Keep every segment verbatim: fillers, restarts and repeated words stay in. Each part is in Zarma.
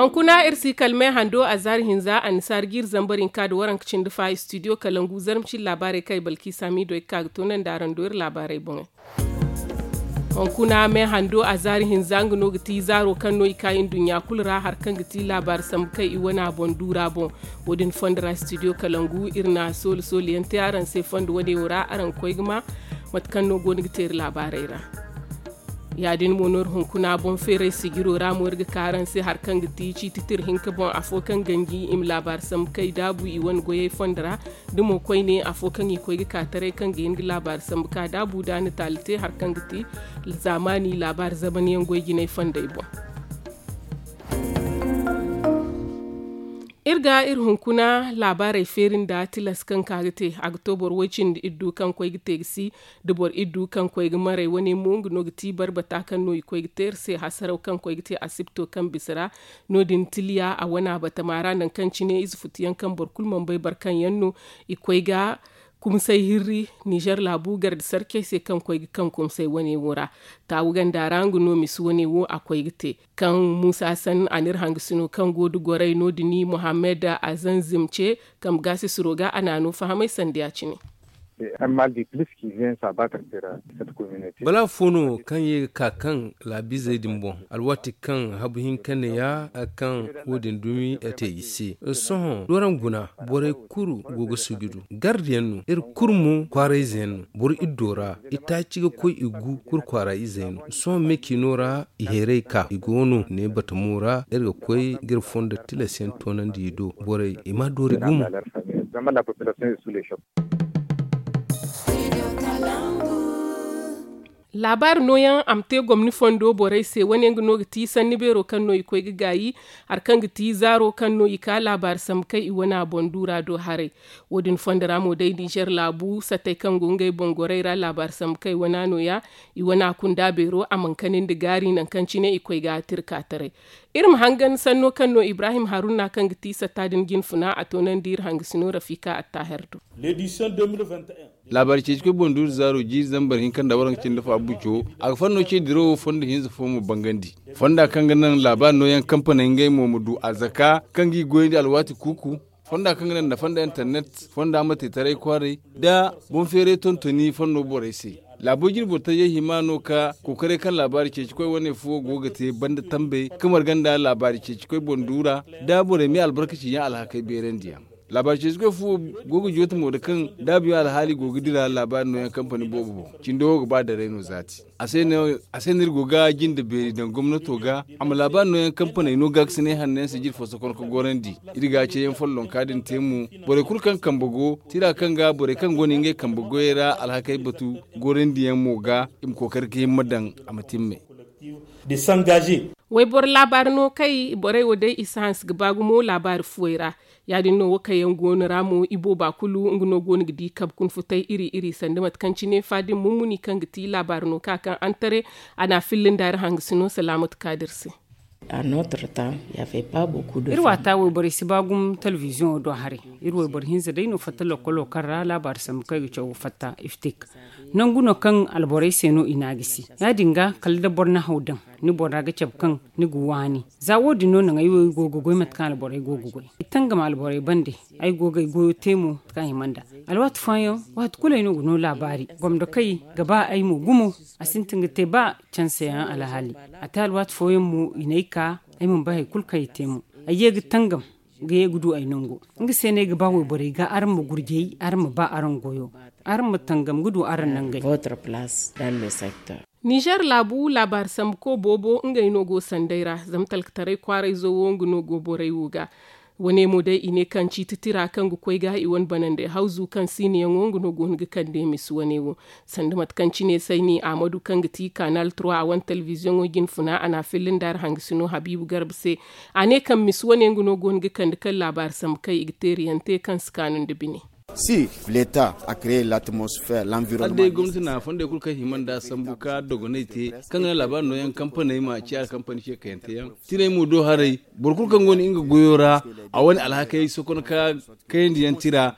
Hunkuna iri si kala me hando a zaari hinza annisaari ga iri zambar hinka nda waranka cindi fa istidiyo kalangu zarma cine laabaarey kaŋ ay balki saamiido ay ga ka ga toonandi araŋ do iri laabaarey boŋey. Hunkuna me hando a zaari hinza nga no ga ti zaaro kaŋ no i ka i nduɲɲa kulu ra hari kaŋ ga ti laabaari sambu kaŋ i wane a boŋ duura boŋ. Wo- din fondo ra istidiyo kalangu iri na sooli sooli yaŋ te araŋ se fondo wane wo ra araŋ ga koy ga ma mate kaŋ no go no ga te iri laabaarey ra. Ya- din mo no iri hunkuna boŋ feeray sijiro ra mo iri ga ka araŋ se hari kaŋ ga ti ciiti tira hinka boŋ afo kaŋ ganji i ma laabaari sambu kaŋ i daabu i wane goyey fondo ra. Da mo koyne afo kaŋ i koy ga ka taray kaŋ ga hin ga laabaari sambu ka daabu da a na taali te hari kaŋ ga ti zaamaani laabaari zamanyaŋ goy jinay fondey boŋ. Iri ga iri hunkuna laabaarey feeri nda tilas kaŋ ka ga te a ga to boro woy cindi iddu kaŋ koy ga te ga si da boro iddu kaŋ koy ga maray wane mo nga no ga ti barbata kaŋ no i koy ga te iri se hasaraw kaŋ koy ga te asibto kaŋ bisa ra. No- din tiliya a wane a batama ra nangu kaŋ cine ize futuyaŋ kaŋ boro kulu mana bay boro kaŋ yaŋ no i koy ga kumsay hirri nizer laabu garde sarcey se kaŋ koy ga kaŋ kumsay wane wo ra. Taawu ganda ra nga no misi wane wo a koy ga te kaŋ muusa san a n'iri hangasino kaŋ go da goray no- din muhammad azanzim ce kambe gaasisiro ga a na no fahamay sanda ya- cine. Bala fo no kaŋ ye ga ka kaŋ laabiizey din boŋ alwaati kaŋ habu hinka neeya kaŋ wo- din dumi te i se. Sohõ dooraŋ guna borey kulu go ga sujudu gardiyaŋ no iri kulu mo kwaarayze yaŋ no boro iddo ra itaaci ga koy i gu kulu kwaara izey no sohõ me ciino ra i heeray ka i go no ne batamo ra iri ga koy ga iri fondo tilas yaŋ toonandi i do borey i ma doori gumo. Laabaari nooyaŋ a ma te gomni fondo borey se wane nga no ga ti sanni beero kaŋ no i koy ga gaayi hari kaŋ ga ti zaaro kaŋ no i ka laabaari sambu kaŋ i wane a boŋ duura do haray. Wo- din fondo ra mo day nizer laabu sattey kaŋ go ngey boŋ gorey ra laabaari sambu kaŋ i wane a nooya i wane a kunda beero a mana kani nda gaari nangu kaŋ cine i koy ga a tira ka taray. Iri ma hangan sanno kaŋ no ibrahim haruna kaŋ ga ti satta din jinfuna a toonandi iri hangasino rafika attaher do. Laabaari ceeci koy boŋ duuru zaaro jiiri zambar hinka nda waranka cindi fo abuco a ga fanno ce dirawo fondo hinza fo mo bangandi. Fonda kaŋ ga naŋ laabaari nooyaŋ kampaney ngey mo ma du a zaka kaŋ ga i goyandi alwaati kuuku. Fonda kaŋ ga naŋ nda fonda internet fonda ma te taray kwaaray da boŋ feeray tontoni fanno borey se. Laabo jirbo tajey hima no ka kookaray kaŋ laabaari ceeci koy wane fuwo go ga te banda tambey ka marga nda laabaari ceeci koy boŋ duura da borey me albarkaci yaŋ alhakey beerandiyaŋ. Laabaari ceeci koy fuwo go ga jooti mo da kaŋ daabu yaŋ alhaali go ga dira laabaari nooyaŋ kampani boobo boŋ cindo wo ga ba daray no zaati. A se no iri go ga jinde beeri daŋ gomnato ga a ma laabaari nooyaŋ kampaney no gaakasinay hanno yaŋ se jiri fo sokon ka gorandi. Iri ga ceeyaŋ follonka din te mo borey kulu kaŋ kambe go tira kaŋ ga borey kaŋ go no ngey kambe goyey ra alhakey batu gorandiyaŋ mo ga i ma kookari ga himma daŋ a ma timme. Wayboro laabaari no kay borey wo day i si hanse ga ba gumo laabaari fuwey ra. Ya- din no wo kaŋ yaŋ go no ra mo ibooba kulu nga no go no ga di kabe kuna futay iri iri sanda mate kaŋ cine faadin mummuni kaŋ ga ti laabaari no ka kaŋ antare a na a filla nda iri hangasino salaamatu kaadir se. Iri waata wayborey si ba gumo telebiziyoŋo do haray. Iri wayboro hinza day no fatta lokolo kaŋ ra laabaari sambu kaŋ ay ga caw fatta iftik. Nangu no kaŋ alborey se no i na gisi ya- din ga kala da boro na haw daŋ ni bora ga cabe kaŋ ni ga waani. Za wo- din no naŋ ay wo ay go ga goy mate kaŋ alborey go ga goy i tangam alborey bande. Ay go ga ay goyo te mo mate kaŋ a hima nd'a. Alwaati fooyaŋ waati kulu ay no ga no laabaari gomdo kay ga ba ay mo gumo. A sintin ga te ba canse yaŋ alhaali a te alwaati fooyaŋ mo i n'ay ka ay mana bay hari kulu kaŋ ay te mo. Ay ye ga tangam ga ye ga du ay nango. Nga se no ay ga ba wayborey ga araŋ ma gurjay araŋ ma ba araŋ goyo. Araŋ ma tangam ga du araŋ nangey. Nizer laabu laabaari sambuko boobo ngey no go sanday ra zama talkataray kwaarayzo wo nga no go borey wo ga. Wane mo day i ne kaŋ ciiti tira kaŋ ga koy ga i wane banandey hawzu kaŋ siiniyaŋo nga no go no ga kande misi wane wo. Sanda mate kaŋ cine sayni ahmadu kaŋ ga ti kanal trois a wane telebiziyoŋo jinfuna a na a filla nda araŋ hangasino habiibu garba se. A ne kaŋ misi wane nga no go no ga kande kaŋ laabaari sambu kaŋ i ga teeriyaŋ te kaŋ si kaanu nda bine. Si leta a créé l'atmosphère l'environnement. Gomnati na fondey kulu kaŋ hima nda sambu ka dogonay te, kaŋ ga naŋ laabaari nooyaŋ kampaney ma ciya kampani se kayante yaŋ. Tinay mo do haray, boro kulu kaŋ go no nga goyo ra, a wane alhakey sokon ka kayandiyaŋ tira,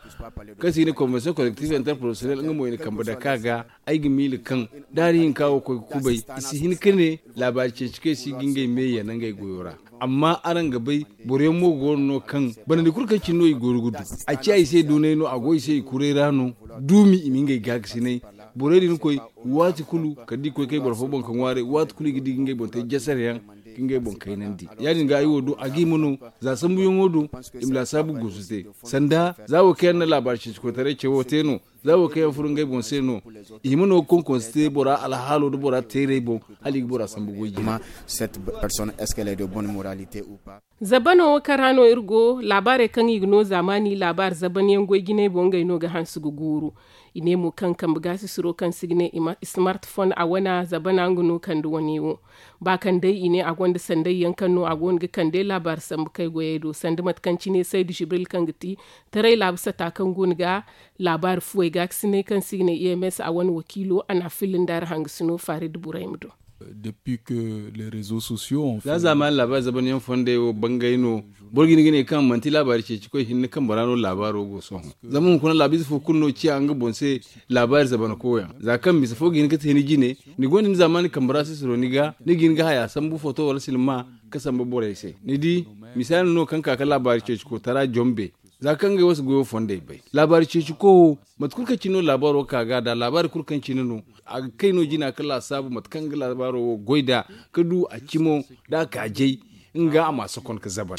kaŋ se i ga ne convention collective interprofessionnel, nga mo i na kambe dake a ga. Ay ga miila kaŋ da hari hinka wo koy ga kubay, i si hin ka ne laabaari ceeci kaŋ i si ga ngey me yee nangey goyo ra. Amma araŋ ga bay, boro yaŋ mo go no kaŋ banandi kulu kaŋ cine no i go ga du. A ciya i se duunay no, a go i se i kuray ra no. Duumi i ma ngey gaakasinay. Borey din koy, waati kulu kala da i koy kay boro fo boŋ ka ŋwaaray, waati kulu i ga di ga ngey boŋ te jasar yaŋ, ka ngey boŋ kaynandi. Ya-din ga ay wo do a ga hima no, za sambuyaŋo do, i ma laasaabu guusu te. Sanda za wo kaŋ yaŋ na laabaari ceeci koytaray cawo te no. Za wo kaŋ yaŋ furo ngey boŋ se no, i hima no ga konkonse te bora alhaalo nda bora teerey boŋ, hala i ga bora sambu goy jina. Cette personne, est-ce qu'elle est de bonne moralité ou pas? Zabano wo kaŋ ra no iri go, laabaarey kaŋ i ga no zaamaani laabaari zabanyaŋ goy jinay boŋ, ngey no ga hanse ga guuru. I ne mo kaŋ kambe gaasisiro kaŋ se i ga ne smartphone a wana zabana nga no kande wane wo. Ba kaŋ day i ne a gonda sanday yaŋ kaŋ no a go no ga kande laabaari sambu kay goyey do sanda mate kaŋ cine saydu jibril kaŋ ga ti taray laabu sata kaŋ go no ga laabaari fuwey gaakasinay kaŋ se i ga ne ems a wane wakiilo a na a filla nda ra hangasino farid burayma do. Depuis que les réseaux sociaux ont za fait zaamaani laabaari zabanyaŋ fondey wo bangay no. Boro ga hin ga ne kaŋ manti laabaari ceeci koy hinne kaŋ bora no laabaaro go sohõ. Zama hunkuna laabiize fo kulu no ciya nga boŋ se laabaari zabana koyaŋ za kaŋ misa fo ga hin ga te ni jine, ni gonda ni zaamaani kambe ra sisiro ni ga ni ga hin ga haya sambu foto wala silma ka samba borey se ni di. Misaali no kaŋ ka ga laabaari ceeci kootara jombe. Za kaŋ ngey wo si goyo fondey bay laabaari ceeci ko wo, mate kulu kaŋ cine no laabaaro ka ga da laabaari kulu kaŋ cine no, a ga kay no jina ka laasaabu mate kaŋ ga laabaaro wo goy nd'a, ka du a cimo nda a kaajay nga a ma sokon ka zabar.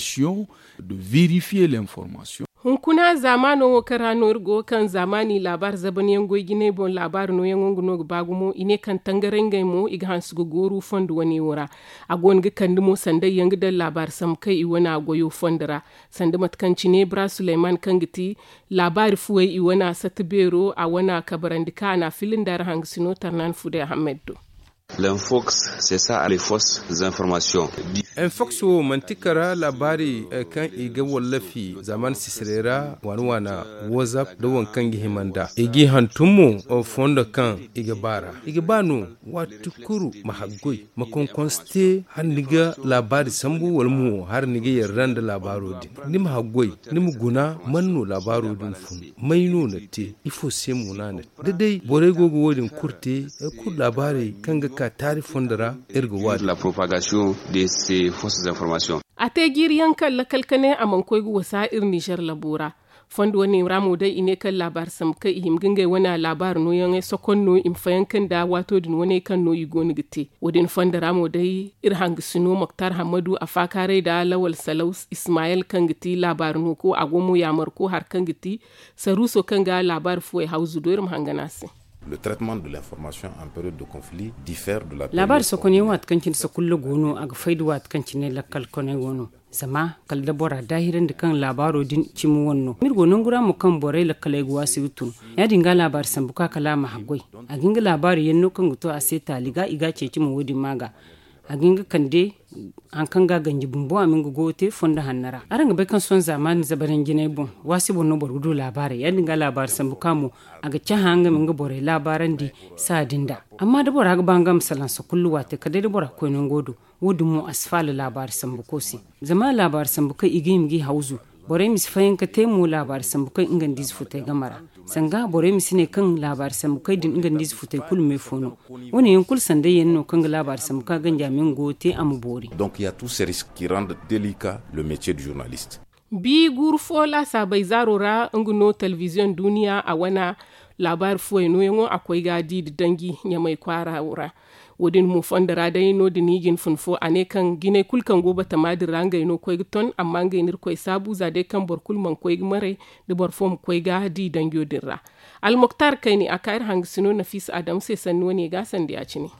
De vérifier l'information. Hunkuna zaamaano wo kaŋ ra no iri go kaŋ zaamaani laabaari zabanyaŋ goy jinay boŋ laabaari nooyaŋo nga no ga ba gumo i ne kaŋ tangaray ngey mo i ga hanse ga gooru fondo wane wo ra. A go no ga kande mo sanday yaŋ ga daŋ laabaari sambu kaŋ i wane a goyo fondo ra. Sanda mate kaŋ cine bra suleyman kaŋ ga ti laabaari fuwey i wane a satta beero a wane a kabarandi kaŋ a na a filla nda ra hangasino tarnan fude ahammed do. L'infox c'est ça les fausses informations. Infox wo manti kara laabaari kaŋ i ga wallafi zaman sisirey ra waana waana whatsapp da waŋ kaŋ ga hima nda i g'i hantum mo fondo kaŋ i ga ba ra i ga ba no waati kulu ma haggoy ma konkonse te hala ni ga laabaari sambu wala mo hala ni ga yarda nda laabaaro din ni ma haggoy ni ma guna man no laabaaro din fun may no na te ifo se mo no a na te da day borey go ga wo- din kulu te kulu laabaarey kaŋ ga ka taari fondo ra iri ga waani. A te jiiri yaŋ kaŋ lakal ka ne a mana koy ga wasa iri nizer labo ra. Fondo wane ra mo day i ne kaŋ laabaari sambu kaŋ i hima ga ngey wane laabaari nooyaŋey sokon no i ma fayanka nda waato din wane kaŋ no i go no ga te wo- din fondo ra mo day iri hangasino moktar hammadu a faakaaray nda lawal salaw ismayel kaŋ ga ti laabaari nooko a go mo yaamarko hari kaŋ ga ti saruuso kaŋ ga laabaari fuwey hawzu do iri ma hangan a se. Le traitement de l'information en période de conflit diffère de la laabaari sokonyaŋ waati kaŋ cine sakulla go no a ga fay da waati kaŋ cine lakkal koney wo no. Zama kala da bora daahirandi kaŋ laabaaro din cimi wane no iri go nangu ra mo kaŋ borey lakkaley ga waasi ga tun. Ya- din ga laabaari sambu ka kala a ma haggoy a ga hin ga laabaari yaŋ no kaŋ ga to a se taali ga i ga a ceeci mo wo- din ma ga a ga hin ga kande hari kaŋ ga a ganji bumbo a ma hin ga goyo te fondo hanno ra araŋ ga bay kaŋ sohõ zaamaani zabaranjinay boŋ waasi boŋ no boro ga du laabaarey ya- din ga laabaari sambu ka mo a ga cahã nga ma nga borey laabaarandi saadi nda. Amma da bora ga ba nga ma salaŋ sakullu waate kala day da bora koy nango do wo- din mo a si faala laabaari sambuko se. Zama laabaari sambu kaŋ i ga hima g'i hawzu borey ma si fayanka te mo laabaari sambu kaŋ nga nda ize futey game ra. Sanga borey ma si ne kaŋ laabaari sambu kaŋ din nga nda ize futey kulu me fo no. Wo- ne yaŋ kulu sanday yaŋ no kaŋ ga laabaari sambu kaŋ a ganji a ma nga goyo te a ma boori. Donc ya tout se risque ki rende delicat le metier du journaliste. Bi guuru fo laasaabey zaaro ra nga no telebiziyoŋ duuniya a wane laabaari fuwey nooyaŋo a koy ga di nda danji ɲamay kwaara wo ra. Wo- din mo fondo ra day no- din i ga hin fun fo a ne kaŋ jinay kulu kaŋ go batama din ra ngey no koy ga ton amma ngey no irkoy saabu za day kaŋ boro kulu mana koy ga maray da boro fo ma koy ga di danjo din ra. Almoktar kayni a ka iri hangasino nafiisa adam se sanni wane ga sanda ya- cine.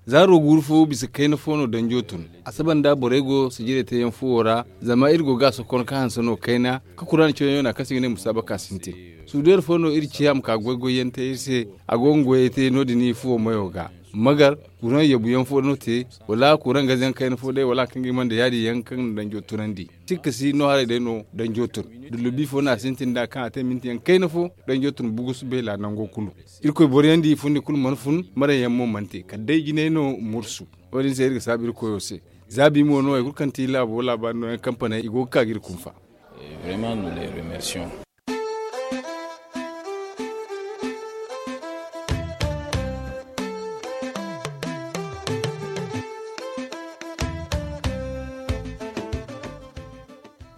Zaaro guuru fo bisa kayna fo no danjo tun. A saba nda borey go sijirey teeyaŋ fuwo ra zama iri go ga a sokon ka hanse no kayna ka kuraana cawyaŋo no a kaŋ se i ga ne musaabaka sintin. Suudeer fo no iri ciya ma ka goy-goyyaŋ te iri se. A go ga goyey te no- din i fuwo mayo ga. Magar, kuraŋ yabu yaŋ fo no te, wala kuraŋ gaze yaŋ kayna fo day wala kaŋ ga hima nda yaadin yaŋ kaŋ na danjo tunandi. Sikka si no haray day no danjo tun. Dullubi fo no a sintin nd'a kaŋ a te minti yaŋ kayna fo, danjo tun bugus beela nango kulu. Irkoy boro yaŋ di fundi kulu mana fun, maray yaŋ mo mana te kala day jinay no mursu. Wo- din se iri ga saabu irkoyo se. Zaabi mo no hari kulu kaŋ ti laabo laabaari no yaŋ kampaney i go ga ka ga iri kunfa.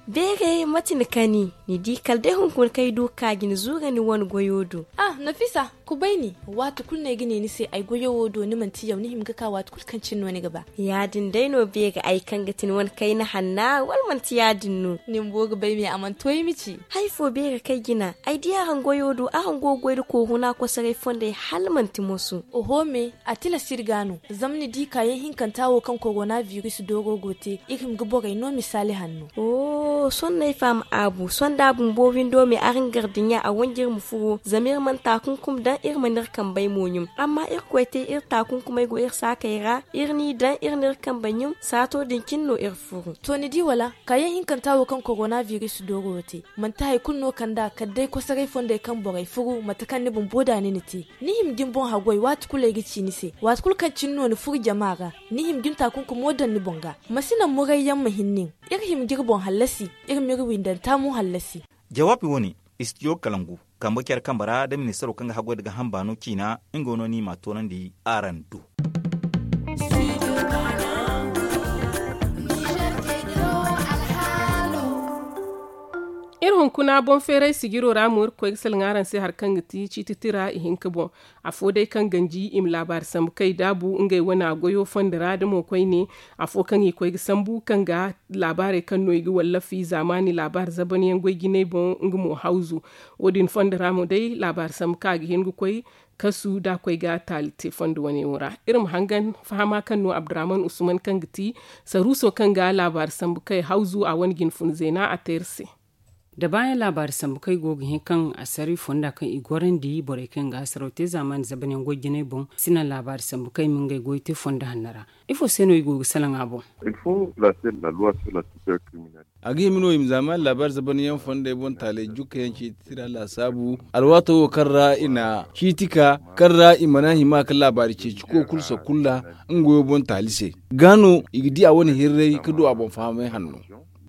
Beere mate ni kani ni di kala day hunkuna kaŋ ay du ga ka ga ni zuura ni wane goyo do. Ah, nafisa, kubay ni. Waati kulu no ay ga ne ni se ay goyo wo do ni manti yaw ni hima ga ka waati kulu kaŋ cine no ni ga ba. Ya- din day no beere ay kaŋ ga ti ni wane kayna hanna wala manti ya- din no? Ni bumbo ga bay me a mana to ay ma ci. Hari fo beere kaŋ ay jina ay di araŋ goyo do araŋ go ga goy nda kooru no a kosoray fondey hala manti moso. Oho me, a tilas iri ga no. Zama ni di kaayaŋ hinkanta wo kaŋ korona biris dooro go te, iri hima ga borey no misaali hanno. Sohõ no ay faham aabu sohõ da a bumbo windo me araŋ gar dinya a wanji iri ma furo zama iri mana taakunkum daŋ iri mana iri kambey mo ɲum. Amma irkoy te iri taakunkumey go iri saakey ra, iri n'i daŋ iri n'iri kambey ɲum. Saato din cine no iri furo. To ni di wala? Kaayaŋ hinkanta wo kaŋ korona biris dooro wo te, manti hari kulu no kand'a kala day kosoray fondey kaŋ borey furu mate kaŋ ni bumbo da ni na te. Ni hima ga ni boŋ haggoy waati kulu ay ga ci ni se waati kulu kaŋ cine no ni furu jama ra. Ni hima ga ni taakunkumo daŋ ni boŋ ga. Ma si naŋ murayyaŋ ma hin nin. Iri hima ga iri boŋ hallasi. Iri m'iri windanta mo hallasi. Jawaabi wane, istijo kalangu, kambe care kambe ra da ministaro kaŋ ga haggoy nda ga hamba no ciina. Nga no ni m'a toonandi araŋ do. Iri hunkuna boŋ feeray sijiro ra mo iri ga koy ga salaŋ araŋ se hari kaŋ ga ti ciiti tira ihinka boŋ. Afo day kaŋ ganji i ma laabaari sambu kay daabu ngey wane goyo fondo ra da mo koyne. Afo kaŋ i koy ga sambu kaŋ ga laabaarey kaŋ no i ga wallafi zaamaani laabaari zabanyaŋ goy jinay boŋ nga mo hawzu. Wo- din fondo ra mo day laabaari sambu kaŋ a ga hin ga koy kasu da a koy ga taali te fondo wane wo ra. Iri ma hangan fahama kaŋ no abdurrahman usman kaŋ ga ti saruuso kaŋ ga laabaari sambu kay hawzu a wane ga ni fun zeena a te iri se. Da baayaŋ laabaari sambu kaŋ i go ga hin kaŋ assaray fonda kaŋ i gorandi borey kaŋ ga hasaraw te zaamaani zabanyaŋ goy jinay boŋ si naŋ laabaari sambu kaŋ i ma ngey goy te fondo hanno ra. Ifo se no i go ga salaŋ a boŋ? A ga hima no i ma zaamaani laabaari zabanyaŋ fondey boŋ taaley jukka yaŋ ciiti tira laasaabu alwaato wo kaŋ ra i na ciiti ka kaŋ ra i mana hima ka laabaari ceeci ko kulu sakulla nga goyo boŋ taali se. Ga no i ga di a wane hirray ka du a boŋ fahamay hanno.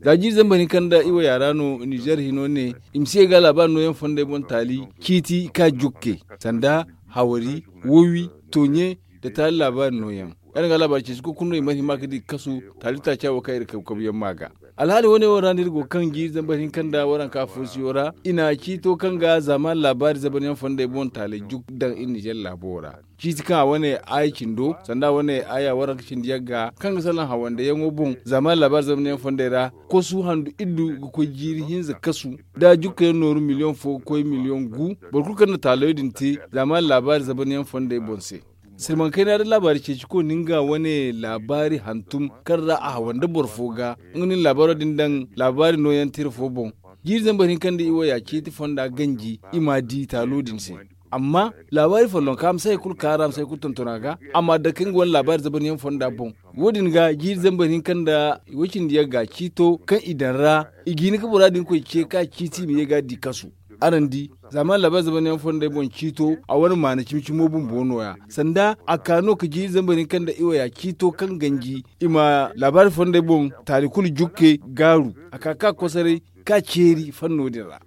Za jiiri zambar hinka nda i waya ra no nizer hino ne i ma si ye ga laabaari nooyaŋ fondey boŋ taali ciiti ka jukke sanda hawari wowi toonye nda taali laabaari nooyaŋ. Yaŋ ga laabaari ceeci kulu no i mana hima ga di ga kasu taali taaca wo kaŋ iri kabu kabu yaŋ ma ga. Alhaali wane wo ra no iri go kaŋ jiiri zambar hinka nda waranka foosiyo ra i na ciito kaŋ ga zaamaani laabaari zabanyaŋ fondey boŋ taaley jukka daŋ iri nizer laabo ra. Ciiti kaŋ a wane aaya cindo sanda a wane aaya waranka cindi yagga kaŋ ga salaŋ hawandayaŋo boŋ zaamaani laabaari zamanyaŋ fondey ra. Kosu handu iddu ga koy jiiri hinza kasu da jukkayaŋ nooru miliyoŋ fo ga koy miliyoŋ gu. Boro kulu kaŋ na taalayo din te zaamaani laabaari zamanyaŋ fondey boŋ se. Sirmankayna da laabaari ceeci ko na nga wane laabaari hantum kaŋ ra a hawanda boro fo ga nga no ni laabaaro din daŋ laabaari nooyaŋ tira fo boŋ. Jiiri zambar hinka nda i waya ciiti fonda ganji i m'a di taalo din se. Amma laabaari follonka a ma si hari kulu kaara a ma si hari kulu tonton a ga a m'a dake nga wane laabaari zabanyaŋ fonda boŋ. Wo- din ga jiiri zambar hinka nda woy-cindi-yagga ciito kaŋ i daŋ ra i ga hin ga bora din koy ce ka ciiti i ma ye ga a di kasu. Araŋ di zaamaani laabaari zabanyaŋ fondey boŋ ciito a wane maana cimi-cimo bumbo no- ya sanda a ka no ka jiiri zambar hinka nda i waya ciito kaŋ ganji i ma laabaari fondey boŋ taali kulu jukke gaaru a ka ka kosoray ka ceeri fanno din ra.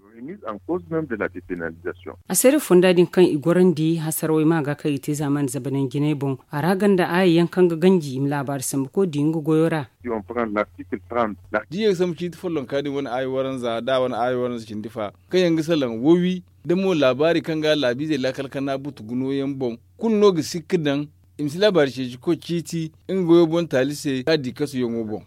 A seere fonda din kaŋ i gorandi hasarawey ma ga kaŋ i te zaamaani zabanyaŋ jinay boŋ a ra ganda aaya yaŋ kaŋ ga ganji i ma laabaari sambu koy di nga goyo ra. Da i ye ga sambu ciiti follonka din wane aaya waranza da a wane aaya waranza cindi fa kaŋ yaŋ ga salaŋ wowi da mo laabaari kaŋ ga laabiizey laakal kana butu guno yaŋ boŋ kulu no ga sikka daŋ i ma si laabaari ceeci koy ciiti nga goyo boŋ taali se ka di kasuyaŋo boŋ.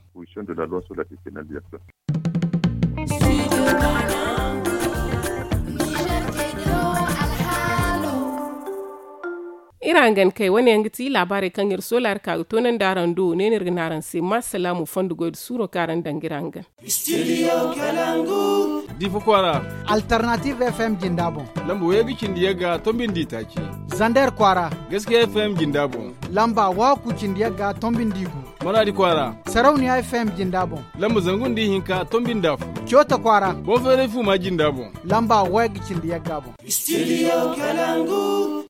Iri hangan kay wane yaŋ ga ti laabaarey kaŋ iri soolaari ka ga toonandi araŋ do ne no iri ga ne araŋ se ma salaamu fondo goy nda suuro kaŋ araŋ daŋ ga iri hangan. Diifa kwaara, alternative f m jinda boŋ. Lamba wayey ga cindi yagga tombindi taaci. Zander kwaara, gaskiya f m jinda boŋ. Lamba waaku cindi yagga tombi nda igu. Maraadi kwaara. Sarauniya F M jinda boŋ. Lamba zangu nda ihinka tombi nda afo. Coota kwaara. Boŋ feeray fuuma jinda boŋ. Lamba wayga cindi yagga boŋ. Studio Kalangu.